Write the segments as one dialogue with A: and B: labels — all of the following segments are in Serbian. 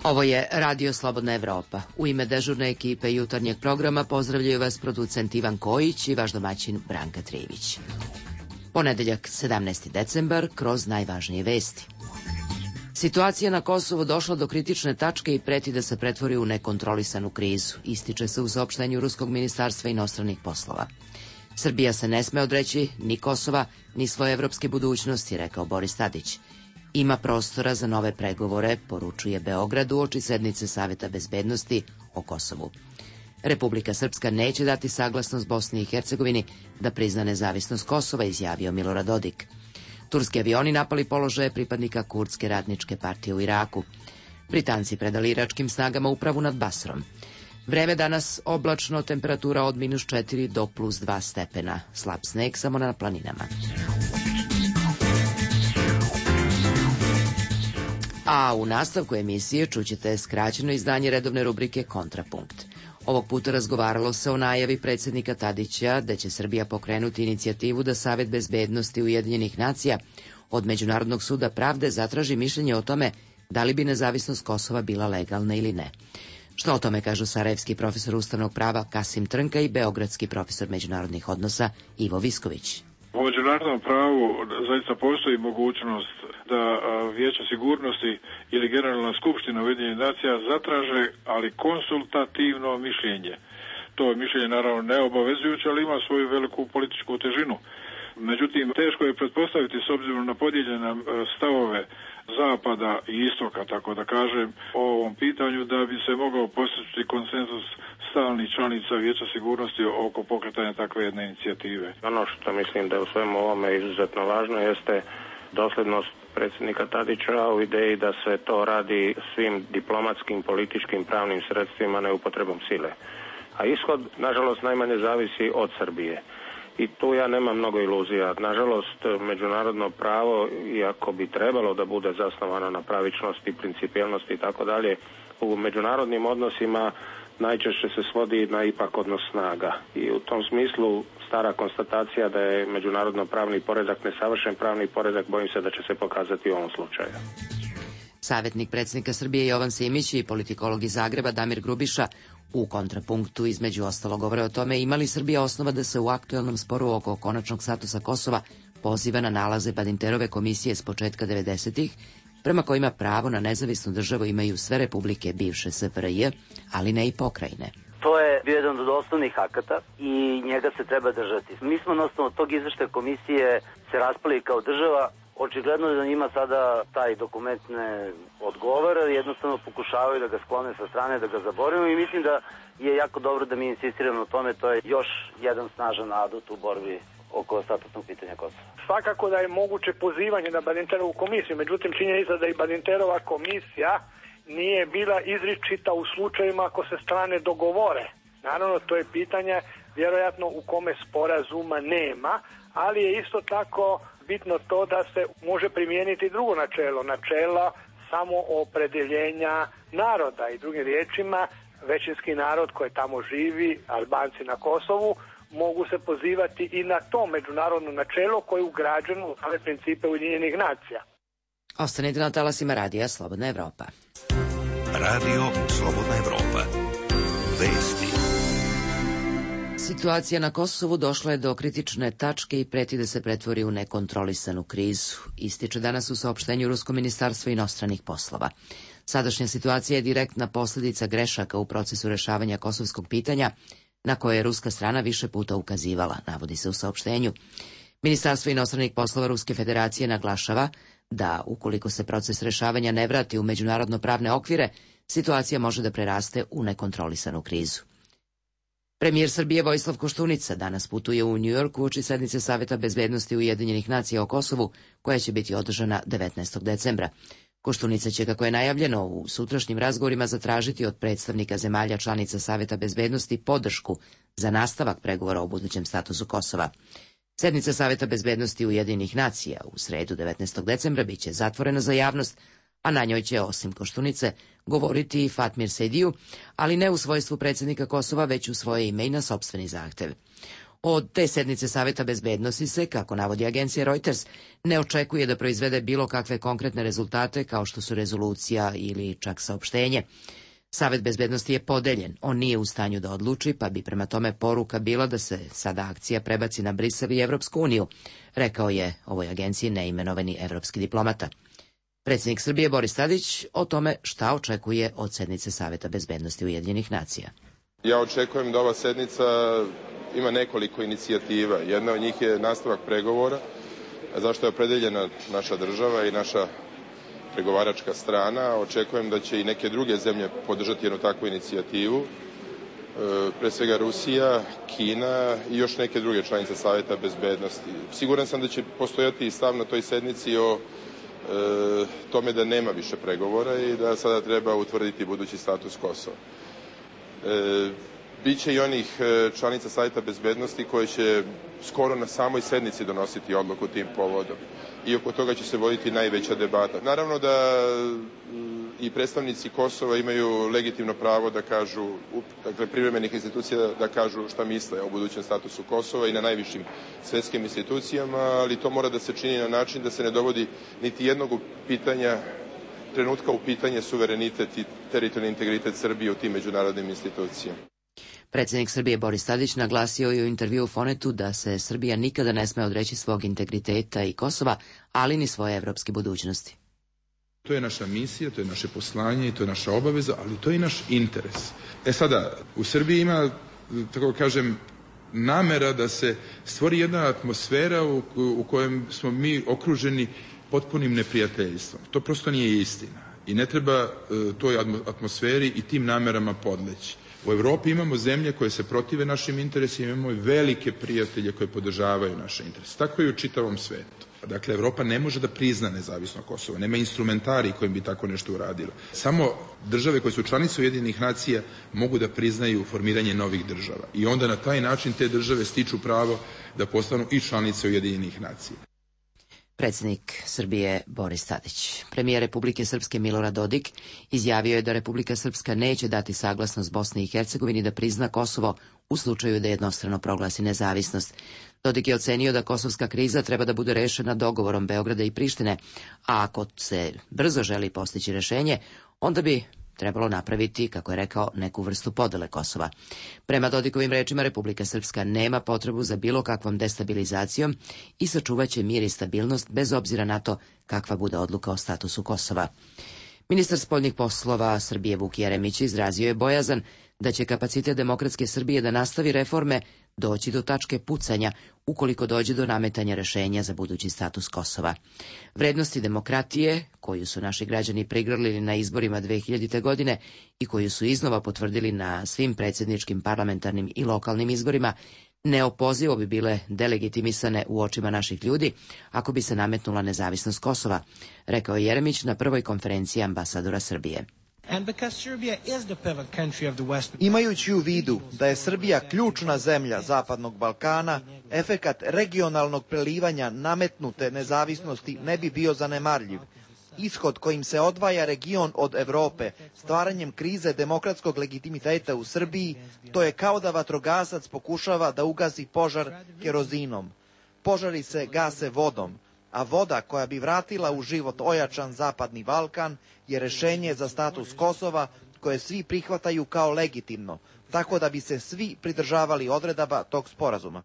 A: Ovo je Radio Slobodna Evropa. U ime dežurne ekipe jutarnjeg programa pozdravljaju vas producent Ivan Kojić i vaš domaćin Branka Trivić. Ponedeljak, 17. decembar, kroz najvažnije vesti. Situacija na Kosovu došla do kritične tačke i preti da se pretvori u nekontrolisanu krizu, ističe se u saopštenju Ruskog ministarstva inostranih poslova. Srbija se ne sme odreći ni Kosova, ni svoje evropske budućnosti, rekao Boris Tadić. Ima prostora za nove pregovore, poručuje Beograd uoči sednice Saveta bezbednosti o Kosovu. Republika Srpska neće dati saglasnost Bosni i Hercegovini da prizna nezavisnost Kosova, izjavio Milorad Dodik. Turski avioni napali položaje pripadnika Kurdske ratničke partije u Iraku. Britanci predali iračkim snagama upravu nad Basrom. Vreme danas oblačno, temperatura od -4 do +2 stepena. Slab sneg samo na planinama. A u nastavku emisije čućete skraćeno izdanje redovne rubrike Kontrapunkt. Ovog puta razgovaralo se o najavi predsjednika Tadića da će Srbija pokrenuti inicijativu da Savet bezbednosti Ujedinjenih nacija od Međunarodnog suda pravde zatraži mišljenje o tome da li bi nezavisnost Kosova bila legalna ili ne. Što o tome kažu sarajevski profesor ustavnog prava Kasim Trnka i beogradski profesor međunarodnih odnosa Ivo Visković.
B: U međunarodnom pravu zaista postoji mogućnost da Vijeće sigurnosti ili Generalna skupština Ujedinjenih nacija zatraže, ali konsultativno mišljenje. To je mišljenje naravno neobavezujuće, ali ima svoju veliku političku težinu. Međutim, teško je pretpostaviti s obzirom na podijeljene stavove zapada i istoka, tako da kažem, o ovom pitanju da bi se mogao postići konsenzus stalnih članica Vijeća sigurnosti oko pokretanja takve jedne inicijative.
C: Ono što mislim da je u svemu ovome izuzetno važno jeste dosljednost predsjednika Tadića u ideji da se to radi svim diplomatskim, političkim, pravnim sredstvima, ne upotrebom sile. A ishod, nažalost, najmanje zavisi od Srbije. I tu ja nemam mnogo iluzija. Nažalost, međunarodno pravo, iako bi trebalo da bude zasnovano na pravičnosti, principijelnosti i tako dalje, u međunarodnim odnosima najčešće se svodi na ipak odnos snaga. I u tom smislu stara konstatacija da je međunarodno pravni poredak nesavršen pravni poredak, bojim se da će se pokazati u ovom slučaju.
A: Savjetnik predsjednika Srbije Jovan Simić i politikolog iz Zagreba Damir Grubiša u kontrapunktu između ostalog govore o tome ima li Srbija osnova da se u aktuelnom sporu oko konačnog statusa Kosova poziva na nalaze Badinterove komisije s početka 90-ih, prema kojima pravo na nezavisnu državu imaju sve republike bivše SFRJ, ali ne i pokrajine.
D: To je bio jedan od osnovnih akata i njega se treba držati. Mi smo na osnovu tog izveštaja komisije se raspali kao država. Očigledno je da njima sada taj dokument ne odgovara, jednostavno pokušavaju da ga sklone sa strane, da ga zaboravimo i mislim da je jako dobro da mi insistiramo na tome, to je još jedan snažan adut u borbi oko statusnog pitanja Kosova.
E: Svakako da je moguće pozivanje na Badinterovu komisiju, međutim činjenica da i Badinterova komisija nije bila izričita u slučajima ako se strane dogovore. Naravno, to je pitanje vjerojatno u kome sporazuma nema, ali je isto tako bitno to da se može primijeniti drugo načelo, načela samoopredeljenja naroda i drugim riječima većinski narod koji tamo živi, Albanci na Kosovu, mogu se pozivati i na to međunarodno načelo koje je ugrađeno u same principe Ujedinjenih nacija.
A: Ostanite na talasima Radija Slobodna Evropa.
F: Radio Slobodna Evropa. Vesti.
A: Situacija na Kosovu došla je do kritične tačke i preti da se pretvori u nekontrolisanu krizu, ističe danas u saopštenju Rusko ministarstvo inostranih poslova. Sadašnja situacija je direktna posljedica grešaka u procesu rešavanja kosovskog pitanja, na koje je ruska strana više puta ukazivala, navodi se u saopštenju. Ministarstvo inostranih poslova Ruske federacije naglašava da, ukoliko se proces rešavanja ne vrati u međunarodno pravne okvire, situacija može da preraste u nekontrolisanu krizu. Premijer Srbije Vojislav Koštunica danas putuje u New York uoči sednice Saveta bezbednosti Ujedinjenih nacija o Kosovu, koja će biti održana 19. decembra. Koštunica će, kako je najavljeno, u sutrašnjim razgovorima zatražiti od predstavnika zemalja članica Saveta bezbednosti podršku za nastavak pregovora o budućem statusu Kosova. Sednica Saveta bezbednosti Ujedinjenih nacija u sredu 19. decembra biće zatvorena za javnost, a na njoj će, osim Koštunice, govoriti i Fatmir Sejdiju, ali ne u svojstvu predsjednika Kosova, već u svoje ime i na sopstveni zahtev. Od te sednice Saveta bezbednosti se, kako navodi agencija Reuters, ne očekuje da proizvede bilo kakve konkretne rezultate kao što su rezolucija ili čak saopštenje. Savet bezbednosti je podeljen, on nije u stanju da odluči, pa bi prema tome poruka bila da se sada akcija prebaci na Brisel i Evropsku uniju, rekao je ovoj agenciji neimenovani evropski diplomata. Predsjednik Srbije Boris Tadić o tome šta očekuje od sednice Saveta bezbednosti Ujedinjenih nacija.
G: Ja očekujem da ova sednica ima nekoliko inicijativa. Jedna od njih je nastavak pregovora, zašto je opredeljena naša država i naša pregovaračka strana. Očekujem da će i neke druge zemlje podržati jednu takvu inicijativu, pre svega Rusija, Kina i još neke druge članice Saveta bezbednosti. Siguran sam da će postojati i stav na toj sednici o tome da nema više pregovora i da sada treba utvrditi budući status Kosova. Biće i onih članica Saveta bezbednosti koje će skoro na samoj sednici donositi odluku tim povodom. I oko toga će se voditi najveća debata. Naravno da i predstavnici Kosova imaju legitimno pravo da kažu, dakle privremenih institucija da kažu šta misle o budućem statusu Kosova i na najvišim svetskim institucijama, ali to mora da se čini na način da se ne dovodi niti jednog trenutka u pitanje suverenitet i teritorijalni integritet Srbije u tim međunarodnim institucijama.
A: Predsjednik Srbije Boris Tadić naglasio je u intervju u Fonetu da se Srbija nikada ne sme odreći svog integriteta i Kosova, ali ni svoje evropske budućnosti.
H: To je naša misija, to je naše poslanje i to je naša obaveza, ali to je i naš interes. Sada, u Srbiji ima, tako kažem, namera da se stvori jedna atmosfera u kojem smo mi okruženi potpunim neprijateljstvom. To prosto nije istina i ne treba toj atmosferi i tim namerama podleći. U Evropi imamo zemlje koje se protive našim interesima, imamo i velike prijatelje koje podržavaju naše interese. Tako i u čitavom svetu. Dakle, Evropa ne može da prizna nezavisno Kosovo, nema instrumentari kojim bi tako nešto uradila. Samo države koje su članice Ujedinjenih nacija mogu da priznaju formiranje novih država. I onda na taj način te države stiču pravo da postanu i članice Ujedinjenih nacija.
A: Predsjednik Srbije Boris Tadić. Premijer Republike Srpske Milorad Dodik izjavio je da Republika Srpska neće dati saglasnost Bosni i Hercegovini da prizna Kosovo u slučaju da jednostrano proglasi nezavisnost. Dodik je ocenio da kosovska kriza treba da bude rešena dogovorom Beograda i Prištine, a ako se brzo želi postići rešenje, onda bi trebalo napraviti, kako je rekao, neku vrstu podele Kosova. Prema Dodikovim rečima, Republika Srpska nema potrebu za bilo kakvom destabilizacijom i sačuvaće mir i stabilnost bez obzira na to kakva bude odluka o statusu Kosova. Ministar spoljnih poslova Srbije Vuk Jeremić izrazio je bojazan da će kapacitet Demokratske Srbije da nastavi reforme doći do tačke pucanja ukoliko dođe do nametanja rešenja za budući status Kosova. Vrednosti demokratije, koju su naši građani prigrlili na izborima 2000. godine i koju su iznova potvrdili na svim predsjedničkim, parlamentarnim i lokalnim izborima, neopozivo bi bile delegitimisane u očima naših ljudi ako bi se nametnula nezavisnost Kosova, rekao je Jeremić na prvoj konferenciji ambasadora Srbije.
I: Imajući u vidu da je Srbija ključna zemlja Zapadnog Balkana, efekat regionalnog prelivanja nametnute nezavisnosti ne bi bio zanemarljiv. Ishod kojim se odvaja region od Evrope, stvaranjem krize demokratskog legitimiteta u Srbiji, to je kao da vatrogasac pokušava da ugasi požar kerozinom. Požari se gase vodom, a voda koja bi vratila u život ojačan Zapadni Balkan je rešenje za status Kosova koje svi prihvataju kao legitimno, tako da bi se svi pridržavali odredaba tog sporazuma.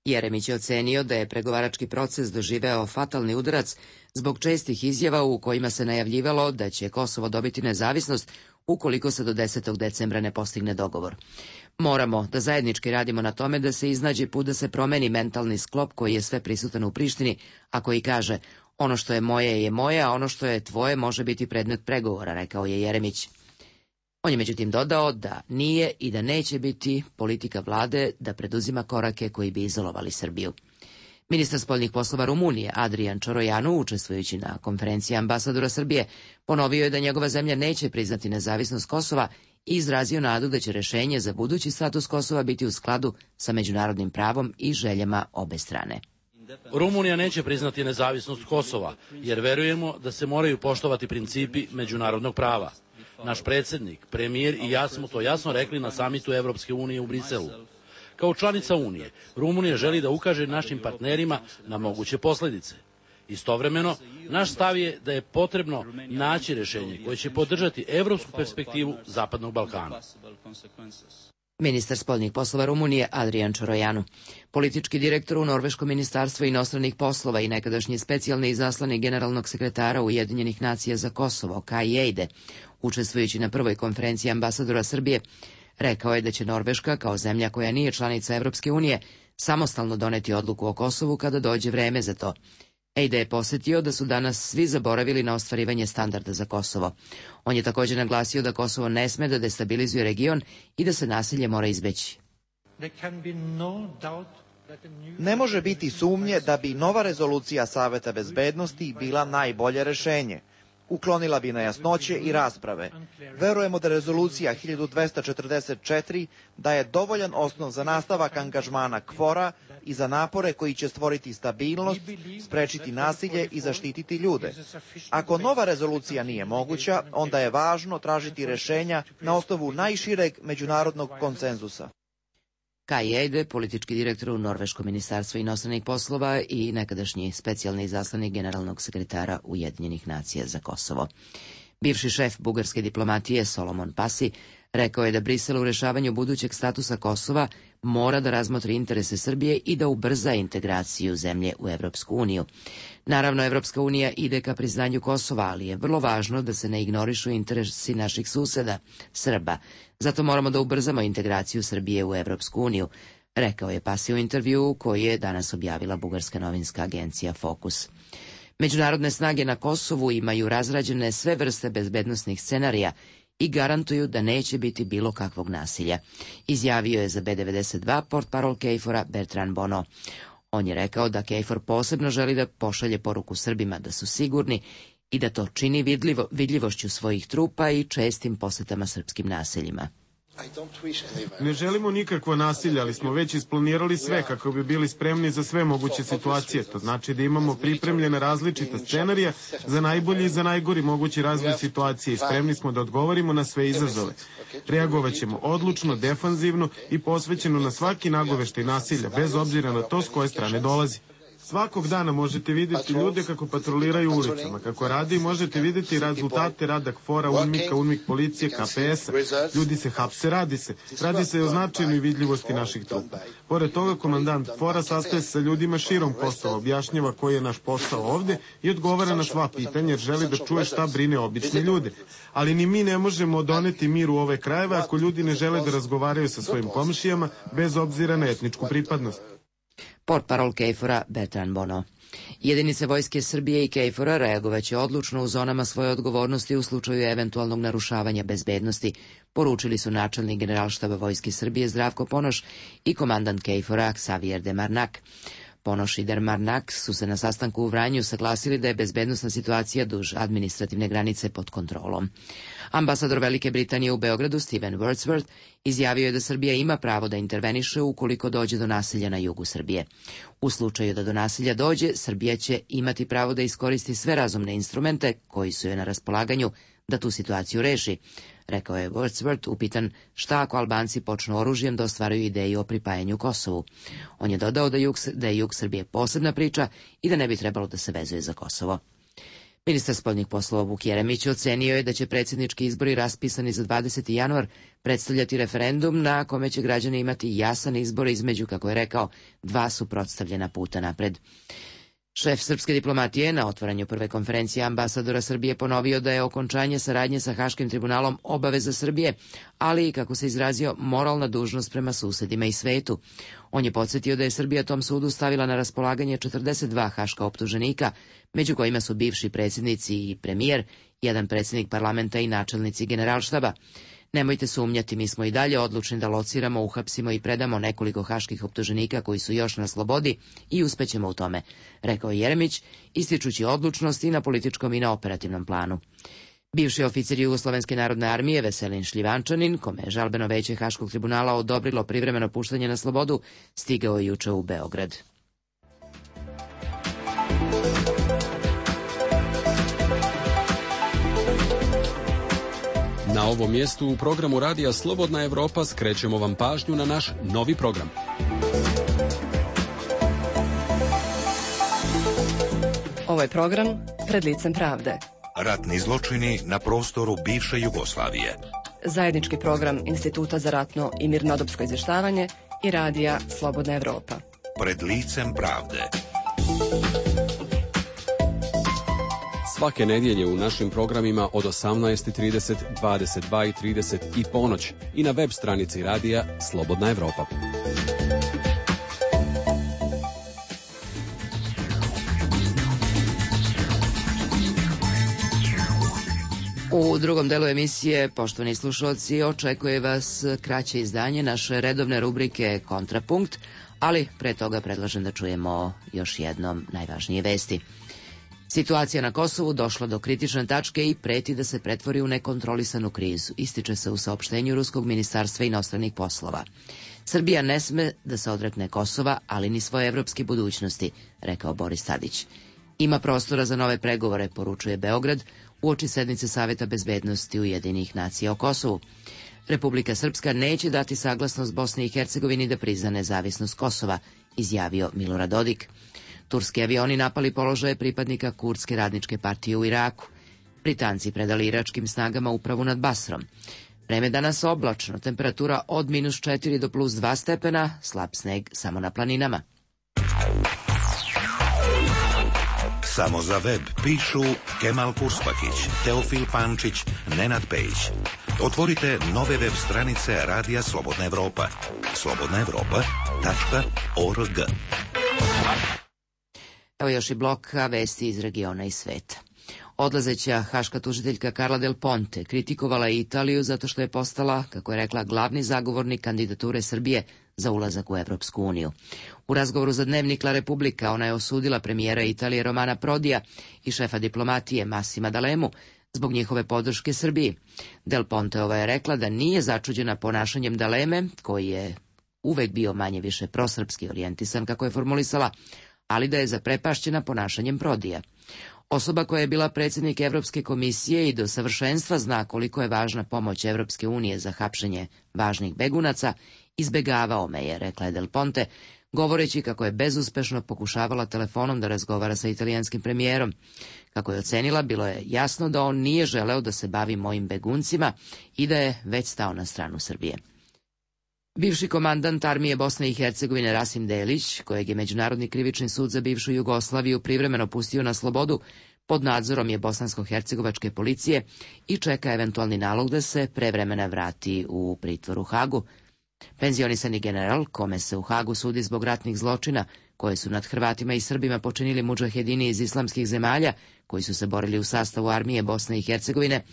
A: Jeremić je ocenio da je pregovarački proces doživeo fatalni udarac zbog čestih izjava u kojima se najavljivalo da će Kosovo dobiti nezavisnost ukoliko se do 10. decembra ne postigne dogovor. Moramo da zajednički radimo na tome da se iznađe put da se promeni mentalni sklop koji je sve prisutan u Prištini, a koji kaže ono što je moje, a ono što je tvoje može biti predmet pregovora, rekao je Jeremić. On je međutim dodao da nije i da neće biti politika vlade da preduzima korake koji bi izolovali Srbiju. Ministar spoljnih poslova Rumunije Adrian Čorojanu, učestvujući na konferenciji ambasadora Srbije, ponovio je da njegova zemlja neće priznati nezavisnost Kosova i izrazio nadu da će rešenje za budući status Kosova biti u skladu sa međunarodnim pravom i željama obe strane.
J: Rumunija neće priznati nezavisnost Kosova, jer verujemo da se moraju poštovati principi međunarodnog prava. Naš predsjednik, premijer i ja smo to jasno rekli na samitu Evropske unije u Briselu. Kao članica Unije, Rumunija želi da ukaže našim partnerima na moguće posljedice. Istovremeno, naš stav je da je potrebno naći rješenje koje će podržati evropsku perspektivu Zapadnog Balkana.
A: Ministar spoljnih poslova Rumunije Adrian Čorojanu, politički direktor u Norveškom ministarstvu inostranih poslova i nekadašnji specijalni izaslanik generalnog sekretara Ujedinjenih nacija za Kosovo, Kai Eide, učestvujući na prvoj konferenciji ambasadora Srbije, rekao je da će Norveška, kao zemlja koja nije članica Evropske unije, samostalno doneti odluku o Kosovu kada dođe vreme za to. Eide je posjetio da su danas svi zaboravili na ostvarivanje standarda za Kosovo. On je također naglasio da Kosovo ne sme da destabilizuje region i da se nasilje mora izbeći.
I: Ne može biti sumnje da bi nova rezolucija Saveta bezbednosti bila najbolje rešenje. Uklonila bi nejasnoće i rasprave. Verujemo da rezolucija 1244 daje dovoljan osnov za nastavak angažmana KFOR-a i za napore koji će stvoriti stabilnost, sprečiti nasilje i zaštititi ljude. Ako nova rezolucija nije moguća, onda je važno tražiti rešenja na osnovu najšireg međunarodnog konsenzusa.
A: Kai Eide, politički direktor u Norveškom ministarstvu inostranih poslova i nekadašnji specijalni izaslanik generalnog sekretara Ujedinjenih nacija za Kosovo. Bivši šef bugarske diplomatije Solomon Pasi rekao je da Brisel u rešavanju budućeg statusa Kosova mora da razmotri interese Srbije i da ubrza integraciju zemlje u Evropsku uniju. Naravno, Evropska unija ide ka priznanju Kosova, ali je vrlo važno da se ne ignorišu interesi naših suseda, Srba. Zato moramo da ubrzamo integraciju Srbije u Evropsku uniju, rekao je Pasi u intervjuu koji je danas objavila bugarska novinska agencija Fokus. Međunarodne snage na Kosovu imaju razrađene sve vrste bezbednosnih scenarija i garantuju da neće biti bilo kakvog nasilja, izjavio je za B92 portparol KFOR-a Bertrand Bono. On je rekao da KFOR posebno želi da pošalje poruku Srbima da su sigurni i da to čini vidljivošću svojih trupa i čestim posetama srpskim naseljima.
K: Ne želimo nikakvo nasilje, ali smo već isplanirali sve kako bi bili spremni za sve moguće situacije. To znači da imamo pripremljene različite scenarije za najbolji i za najgori mogući razvoj situacije i spremni smo da odgovorimo na sve izazove. Reagovat ćemo odlučno, defanzivno i posvećeno na svaki nagoveštaj nasilja, bez obzira na to s koje strane dolazi. Svakog dana možete vidjeti ljude kako patroliraju ulicama, kako radi i možete vidjeti rezultate rada KFOR-a, UNMIK-a, UNMIK policije, KPS-a. Ljudi se hapse, radi se i o značajnoj vidljivosti naših trupa. Pored toga, komandant KFOR-a sastaje se sa ljudima širom Kosova, objašnjava koji je naš posao ovdje i odgovara na sva pitanja jer želi da čuje šta brine obične ljude. Ali ni mi ne možemo doneti mir u ove krajeve ako ljudi ne žele da razgovaraju sa svojim komšijama bez obzira na etničku pripadnost.
A: Portparol KFOR-a Bertrand Bono. Jedinice vojske Srbije i KFOR-a reagovaće odlučno u zonama svoje odgovornosti u slučaju eventualnog narušavanja bezbednosti, poručili su načelnik Generalštaba vojske Srbije Zdravko Ponoš i komandant KFOR-a Xavier de Marnak. Ponoš i de Marnak su se na sastanku u Vranju saglasili da je bezbednosna situacija duž administrativne granice pod kontrolom. Ambasador Velike Britanije u Beogradu Steven Wordsworth izjavio je da Srbija ima pravo da interveniše ukoliko dođe do nasilja na jugu Srbije. U slučaju da do nasilja dođe, Srbija će imati pravo da iskoristi sve razumne instrumente koji su joj na raspolaganju da tu situaciju reši, rekao je Wordsworth upitan šta ako Albanci počnu oružjem da ostvaruju ideju o pripajanju Kosovu. On je dodao da je jug Srbije posebna priča i da ne bi trebalo da se vezuje za Kosovo. Ministar spoljnih poslova Vuk Jeremić ocenio je da će predsjednički izbori raspisani za 20. januar predstavljati referendum na kome će građani imati jasan izbor između, kako je rekao, dva suprotstavljena puta napred. Šef srpske diplomatije na otvaranju prve konferencije ambasadora Srbije ponovio da je okončanje saradnje sa Haškim tribunalom obaveza Srbije, ali i, kako se izrazio, moralna dužnost prema susedima i svetu. On je podsjetio da je Srbija tom sudu stavila na raspolaganje 42 haška optuženika, među kojima su bivši predsjednici i premijer, jedan predsjednik parlamenta i načelnici Generalštaba. Nemojte sumnjati, mi smo i dalje odlučni da lociramo, uhapsimo i predamo nekoliko haških optuženika koji su još na slobodi i uspećemo u tome, rekao je Jeremić, ističući odlučnost i na političkom i na operativnom planu. Bivši oficir Jugoslovenske narodne armije Veselin Šljivančanin, kome je žalbeno veće Haškog tribunala odobrilo privremeno puštanje na slobodu, stigao je juče u Beograd.
L: Na ovom mjestu u programu Radija Slobodna Evropa skrećemo vam pažnju na naš novi program.
M: Ovo je program Pred licem pravde.
F: Ratni zločini na prostoru bivše Jugoslavije.
M: Zajednički program Instituta za ratno i mirnodopsko izvještavanje i Radija Slobodna Evropa.
F: Pred licem pravde.
L: Svake nedjelje u našim programima od 18:30, 22:30 i ponoć i na web stranici Radija Slobodna Evropa.
A: U drugom delu emisije, poštovani slušalci, očekuje vas kraće izdanje naše redovne rubrike Kontrapunkt, ali pre toga predlažem da čujemo još jednom najvažnije vesti. Situacija na Kosovu došla do kritične tačke i preti da se pretvori u nekontrolisanu krizu, ističe se u saopštenju Ruskog ministarstva inostranih poslova. Srbija ne sme da se odrekne Kosova, ali ni svoje evropske budućnosti, rekao Boris Tadić. Ima prostora za nove pregovore, poručuje Beograd, uoči sednice Saveta bezbednosti Ujedinjenih nacija o Kosovu. Republika Srpska neće dati saglasnost Bosni i Hercegovini da prizna nezavisnost Kosova, izjavio Milorad Dodik. Turski avioni napali položaje pripadnika Kurdske radničke partije u Iraku. Britanci predali iračkim snagama upravu nad Basrom. Vreme danas oblačno, temperatura od -4 do +2 stepena, slab sneg samo na planinama.
F: Samo za web pišu Kemal Kurspakić, Teofil Pančić, Nenad Pejić. Otvorite nove web stranice Radija Slobodna Evropa. slobodnaevropa.org.
A: Evo još i blok vesti iz regiona i sveta. Odlazeća haška tužiteljka Carla Del Ponte kritikovala je Italiju zato što je postala, kako je rekla, glavni zagovornik kandidature Srbije za ulazak u Evropsku uniju. U razgovoru za dnevnik La Repubblica ona je osudila premijera Italije Romana Prodija i šefa diplomatije Massima D'Alemu zbog njihove podrške Srbiji. Del Ponteova je rekla da nije začuđena ponašanjem D'Aleme, koji je uvek bio manje više prosrpski orijentisan, kako je formulisala, ali da je zaprepašćena ponašanjem Prodija. Osoba koja je bila predsjednik Evropske komisije i do savršenstva zna koliko je važna pomoć Evropske unije za hapšenje važnih begunaca, izbegavao me je, rekla je Del Ponte, govoreći kako je bezuspešno pokušavala telefonom da razgovara sa italijanskim premijerom. Kako je ocenila, bilo je jasno da on nije želeo da se bavi mojim beguncima i da je već stao na stranu Srbije. Bivši komandant armije Bosne i Hercegovine Rasim Delić, kojeg je Međunarodni krivični sud za bivšu Jugoslaviju privremeno pustio na slobodu, pod nadzorom je bosansko-hercegovačke policije i čeka eventualni nalog da se pre vremena vrati u pritvor u Hagu. Penzionisani general, kome se u Hagu sudi zbog ratnih zločina koje su nad Hrvatima i Srbima počinili mudžahedini iz islamskih zemalja koji su se borili u sastavu armije Bosne i Hercegovine,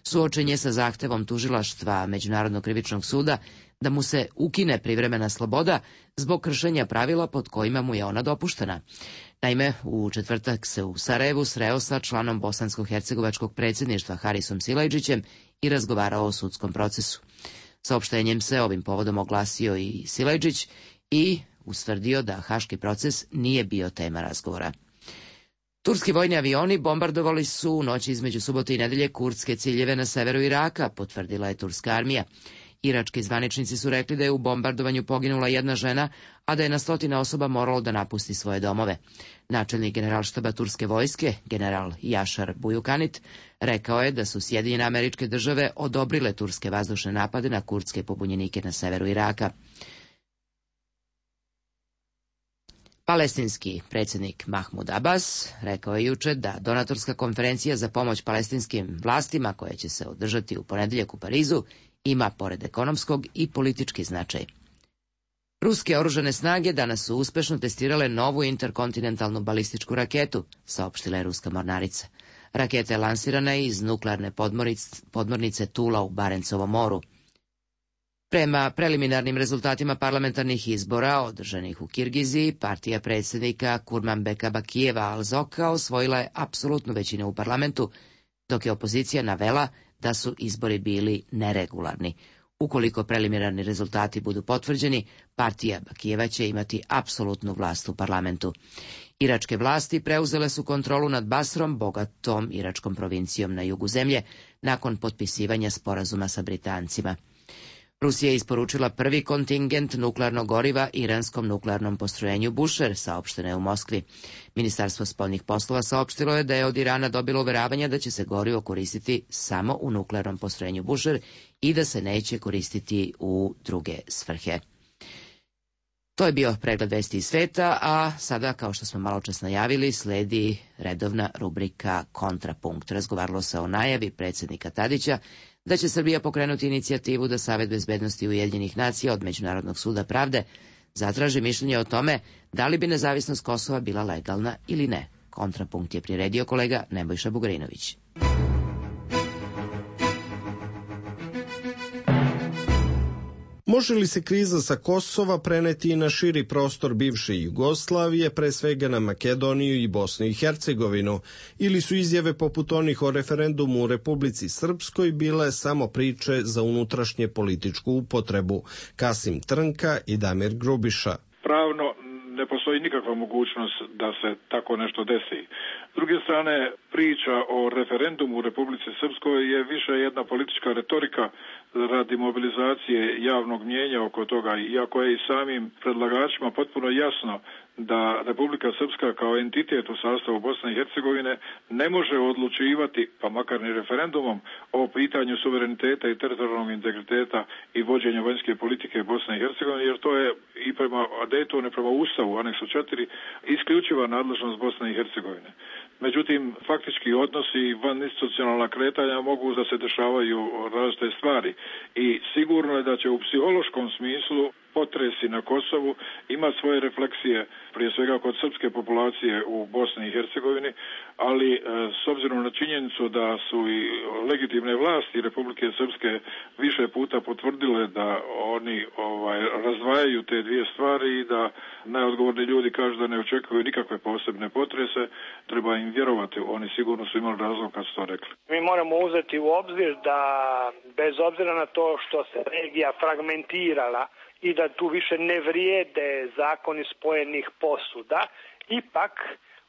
A: suočen je sa zahtevom tužilaštva Međunarodnog krivičnog suda da mu se ukine privremena sloboda zbog kršenja pravila pod kojima mu je ona dopuštena. Naime, u četvrtak se u Sarajevu sreo sa članom bosansko-hercegovačkog predsjedništva Harisom Silajdžićem i razgovarao o sudskom procesu. Saopštenjem se ovim povodom oglasio i Silajdžić i ustvrdio da haški proces nije bio tema razgovora. Turski vojni avioni bombardovali su u noći između subote i nedelje kurdske ciljeve na severu Iraka, potvrdila je turska armija. Irački zvaničnici su rekli da je u bombardovanju poginula jedna žena, a da je na stotine osoba moralo da napusti svoje domove. Načelnik generalštaba turske vojske, general Jašar Bujukanit, rekao je da su Sjedinjene Američke Države odobrile turske vazdušne napade na kurdske pobunjenike na severu Iraka. Palestinski predsjednik Mahmud Abbas rekao je juče da donatorska konferencija za pomoć palestinskim vlastima, koja će se održati u ponedeljak u Parizu, ima pored ekonomskog i politički značaj. Ruske oružane snage danas su uspešno testirale novu interkontinentalnu balističku raketu, saopštila je ruska mornarica. Raketa je lansirana iz nuklearne podmornice Tula u Barencovom moru. Prema preliminarnim rezultatima parlamentarnih izbora održanih u Kirgiziji, partija predsjednika Kurmanbeka Bakijeva Al-Zoka osvojila je apsolutnu većinu u parlamentu, dok je opozicija navela da su izbori bili neregularni. Ukoliko preliminarni rezultati budu potvrđeni, partija Bakijeva će imati apsolutnu vlast u parlamentu. Iračke vlasti preuzele su kontrolu nad Basrom, bogatom iračkom provincijom na jugu zemlje, nakon potpisivanja sporazuma sa Britancima. Rusija je isporučila prvi kontingent nuklearnog goriva iranskom nuklearnom postrojenju Busher, saopšteno je u Moskvi. Ministarstvo spoljnih poslova saopštilo je da je od Irana dobilo uveravanja da će se gorivo koristiti samo u nuklearnom postrojenju Busher i da se neće koristiti u druge svrhe. To je bio pregled vesti iz sveta, a sada, kao što smo maločas najavili, sledi redovna rubrika Kontrapunkt. Razgovaralo se o najavi predsjednika Tadića da će Srbija pokrenuti inicijativu da Savet bezbednosti Ujedinjenih nacija od Međunarodnog suda pravde zatraži mišljenje o tome da li bi nezavisnost Kosova bila legalna ili ne. Kontrapunkt je priredio kolega Nebojša Bugarinović.
N: Može li se kriza sa Kosova preneti i na širi prostor bivše Jugoslavije, pre svega na Makedoniju i Bosnu i Hercegovinu, ili su izjave poput onih o referendumu u Republici Srpskoj bile samo priče za unutrašnje političku upotrebu? Kasim Trnka i Damir Grubiša.
B: Pravno ne postoji nikakva mogućnost da se tako nešto desi. S druge strane, priča o referendumu u Republici Srpskoj je više jedna politička retorika radi mobilizacije javnog mnijenja oko toga, iako je i samim predlagačima potpuno jasno da Republika Srpska kao entitet u sastavu Bosne i Hercegovine ne može odlučivati, pa makar ni referendumom, o pitanju suvereniteta i teritorijalnog integriteta i vođenja vanjske politike Bosne i Hercegovine, jer to je i prema Daytonu, prema Ustavu, aneksu 4, isključiva nadležnost Bosne i Hercegovine. Međutim, faktički odnosi i vaninstitucionalna kretanja mogu da se dešavaju različite stvari i sigurno je da će u psihološkom smislu potresi na Kosovu ima svoje refleksije, prije svega kod srpske populacije u Bosni i Hercegovini, ali s obzirom na činjenicu da su i legitimne vlasti Republike Srpske više puta potvrdile da oni razdvajaju te dvije stvari i da najodgovorni ljudi kažu da ne očekuju nikakve posebne potrese, treba im vjerovati, oni sigurno su imali razlog kad su to rekli.
E: Mi moramo uzeti u obzir da bez obzira na to što se regija fragmentirala i da tu više ne vrijede zakoni spojenih posuda, ipak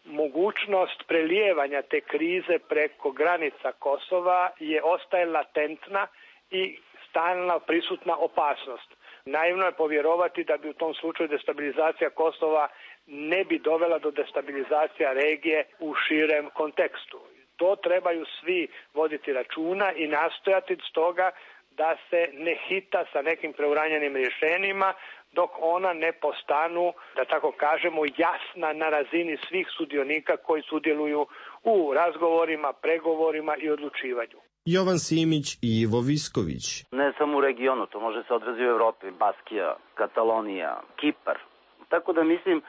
E: mogućnost prelijevanja te krize preko granica Kosova ostaje latentna i stalna prisutna opasnost. Naivno je povjerovati da bi u tom slučaju destabilizacija Kosova ne bi dovela do destabilizacija regije u širem kontekstu. To trebaju svi voditi računa i nastojati stoga da se ne hita sa nekim preuranjenim rješenjima dok ona ne postanu, da tako kažemo, jasna na razini svih sudionika koji sudjeluju u razgovorima, pregovorima i odlučivanju.
N: Jovan Simić i Ivo Visković.
D: Ne samo u regionu, to može se odraziti u Evropi, Baskija, Katalonija, Kipar. Tako da mislim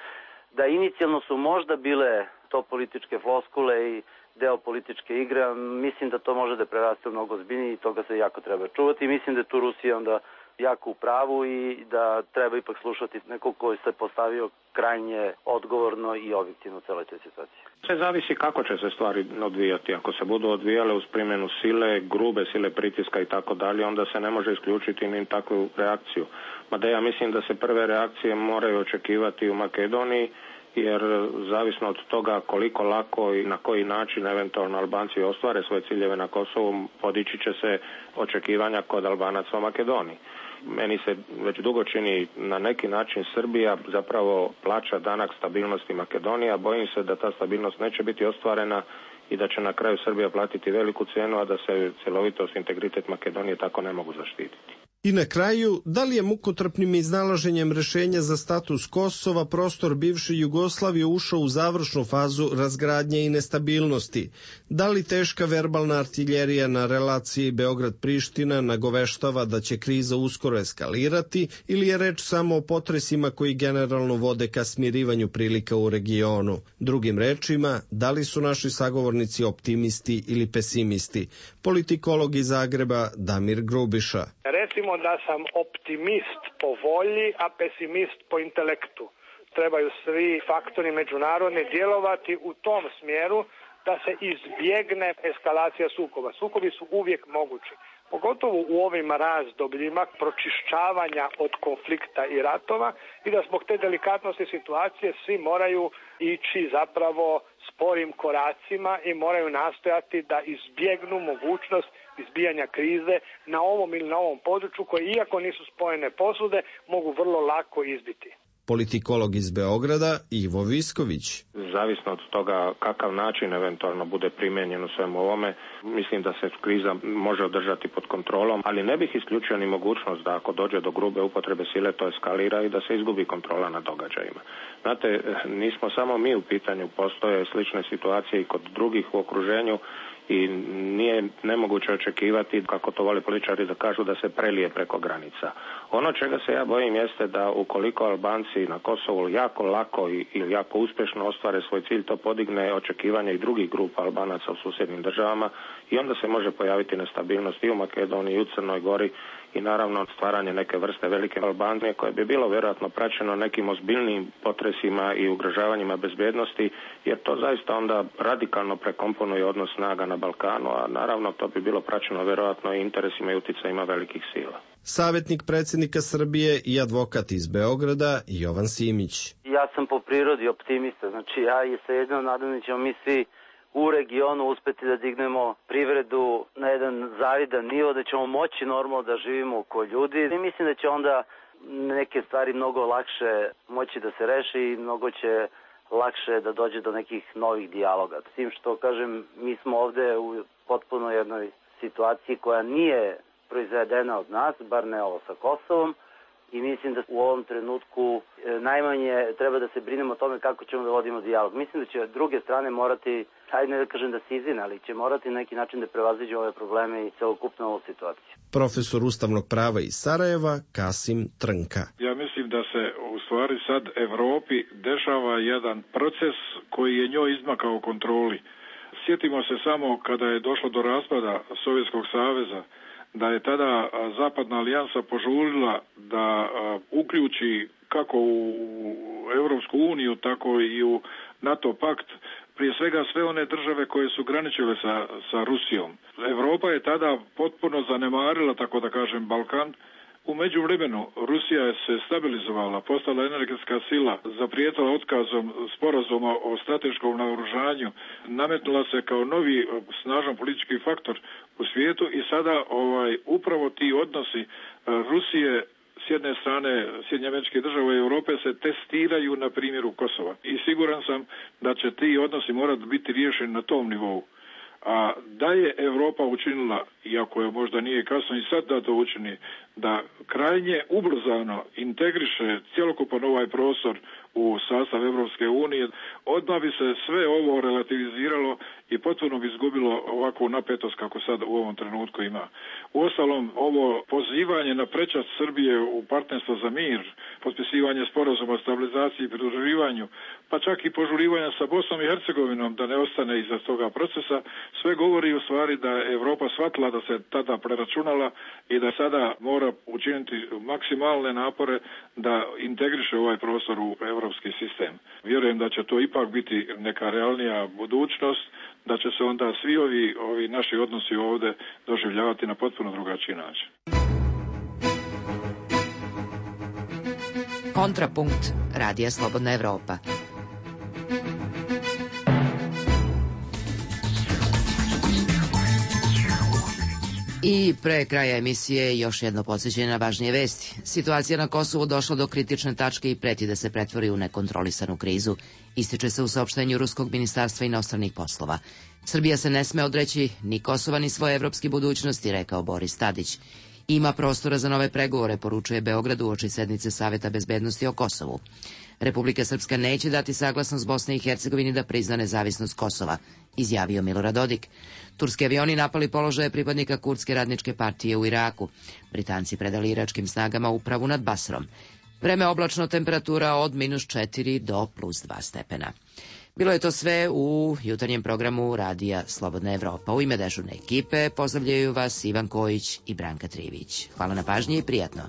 D: da inicijalno su možda bile to političke floskule i deo političke igre, mislim da to može da preraste mnogo ozbiljnije i toga se jako treba čuvati. Mislim da je tu Rusija onda jako u pravu i da treba ipak slušati nekog koji se postavio krajnje odgovorno i objektivno u celoj toj situaciji.
C: Sve zavisi kako će se stvari odvijati. Ako se budu odvijale uz primjenu sile, grube sile pritiska i tako dalje, onda se ne može isključiti ni takvu reakciju. Mada ja mislim da se prve reakcije moraju očekivati u Makedoniji, jer zavisno od toga koliko lako i na koji način eventualno Albanci ostvare svoje ciljeve na Kosovu, podići će se očekivanja kod Albanaca u Makedoniji. Meni se već dugo čini na neki način Srbija zapravo plaća danak stabilnosti Makedonije, a bojim se da ta stabilnost neće biti ostvarena i da će na kraju Srbija platiti veliku cijenu, a da se cjelovitost i integritet Makedonije tako ne mogu zaštititi.
N: I na kraju, da li je mukotrpnim iznalaženjem rešenja za status Kosova prostor bivše Jugoslavije ušao u završnu fazu razgradnje i nestabilnosti? Da li teška verbalna artiljerija na relaciji Beograd-Priština nagoveštava da će kriza uskoro eskalirati ili je reč samo o potresima koji generalno vode ka smirivanju prilika u regionu? Drugim rečima, da li su naši sagovornici optimisti ili pesimisti? Politikolog iz Zagreba Damir Grubiša.
E: Recimo da sam optimist po volji, a pesimist po intelektu. Trebaju svi faktori međunarodni djelovati u tom smjeru da se izbjegne eskalacija sukoba. Sukobi su uvijek mogući, pogotovo u ovim razdobljima pročišćavanja od konflikta i ratova i da zbog te delikatnosti situacije svi moraju ići zapravo sporim koracima i moraju nastojati da izbjegnu mogućnost izbijanja krize na ovom ili na ovom području koje, iako nisu spojene posude, mogu vrlo lako izbiti.
N: Politikolog iz Beograda Ivo Visković.
C: Zavisno od toga kakav način eventualno bude primijenjen u svemu ovome, mislim da se kriza može održati pod kontrolom, ali ne bih isključio ni mogućnost da ako dođe do grube upotrebe sile to eskalira i da se izgubi kontrola nad događajima. Znate, nismo samo mi u pitanju, postoje slične situacije i kod drugih u okruženju i nije nemoguće očekivati, kako to vole političari da kažu, da se prelije preko granica. Ono čega se ja bojim jeste da ukoliko Albanci na Kosovu jako lako ili jako uspješno ostvare svoj cilj, to podigne očekivanja i drugih grupa Albanaca u susjednim državama i onda se može pojaviti nestabilnost i u Makedoniji i u Crnoj Gori i naravno stvaranje neke vrste velike Albanije koje bi bilo vjerojatno praćeno nekim ozbiljnim potresima i ugrožavanjima bezbjednosti, jer to zaista onda radikalno prekomponuje odnos snaga na Balkanu, a naravno to bi bilo praćeno vjerojatno i interesima i utjecajima velikih sila.
N: Savjetnik predsjednika Srbije i advokat iz Beograda Jovan Simić.
D: Ja sam po prirodi optimista, znači ja i svejedno nadam da ćemo mi svi u regionu uspeti da dignemo privredu na jedan zavidan nivo, da ćemo moći normalno da živimo ko ljudi i mislim da će onda neke stvari mnogo lakše moći da se reši i mnogo će lakše da dođe do nekih novih dijaloga. S tim što, kažem, mi smo ovde u potpuno jednoj situaciji koja nije proizvedena od nas, bar ne ovo sa Kosovom, i mislim da u ovom trenutku najmanje treba da se brinemo o tome kako ćemo da vodimo dijalog. Mislim da će druge strane morati, hajde ne da kažem da se izvine, ali će morati na neki način da prevaziđu ove probleme i celokupnu ovu situaciju.
N: Profesor ustavnog prava iz Sarajeva Kasim Trnka.
B: Ja mislim da se u stvari sad Evropi dešava jedan proces koji je njoj izmakao kontroli. Sjetimo se samo kada je došlo do raspada Sovjetskog saveza, da je tada Zapadna alijansa požurila da uključi kako u Europsku uniju, tako i u NATO pakt, prije svega sve one države koje su graničile sa Rusijom. Evropa je tada potpuno zanemarila, tako da kažem, Balkan. U međuvremenu Rusija je se stabilizovala, postala energetska sila, zaprijetila otkazom sporazuma o strateškom naoružanju, nametnula se kao novi snažan politički faktor u svijetu i sada upravo ti odnosi Rusije s jedne strane Sjedinjenih Američkih Država i Europe se testiraju na primjeru Kosova. I siguran sam da će ti odnosi morati biti riješeni na tom nivou. A da je Europa učinila, iako je možda nije kasno i sad da to učini, da krajnje ubrzano integriše cjelokupan ovaj prostor u sastav Europske unije, odmah bi se sve ovo relativiziralo i potpuno bi izgubilo ovakvu napetost kako sad u ovom trenutku ima. Uostalom, ovo pozivanje na prečac Srbije u partnerstvo za mir, potpisivanje sporazuma o stabilizaciji i pridruživanju, pa čak i požurivanja sa Bosnom i Hercegovinom da ne ostane iza toga procesa, sve govori u stvari da je Europa shvatila da se tada preračunala i da sada mora učiniti maksimalne napore da integriše ovaj prostor u europski sistem. Vjerujem da će to ipak biti neka realnija budućnost, da će se onda svi ovi naši odnosi ovdje doživljavati na potpuno drugačiji način.
A: Kontrapunkt Radija Slobodna Evropa. I pre kraja emisije još jedno podsjećanje na važnije vesti. Situacija na Kosovu došla do kritične tačke i preti da se pretvori u nekontrolisanu krizu. Ističe se u saopštenju Ruskog ministarstva inostranih poslova. Srbija se ne sme odreći ni Kosova ni svoje evropske budućnosti, rekao Boris Tadić. Ima prostora za nove pregovore, poručuje Beograd uoči sednice Saveta bezbednosti o Kosovu. Republika Srpska neće dati saglasnost Bosne i Hercegovini da prizna nezavisnost Kosova, izjavio Milorad Dodik. Turski avioni napali položaje pripadnika Kurdske radničke partije u Iraku. Britanci predali iračkim snagama upravu nad Basrom. Vreme oblačno, temperatura od -4 do +2 stepena. Bilo je to sve u jutarnjem programu Radija Slobodna Evropa. U ime dežurne ekipe pozdravljaju vas Ivan Kojić i Branka Trivić. Hvala na pažnji i prijatno.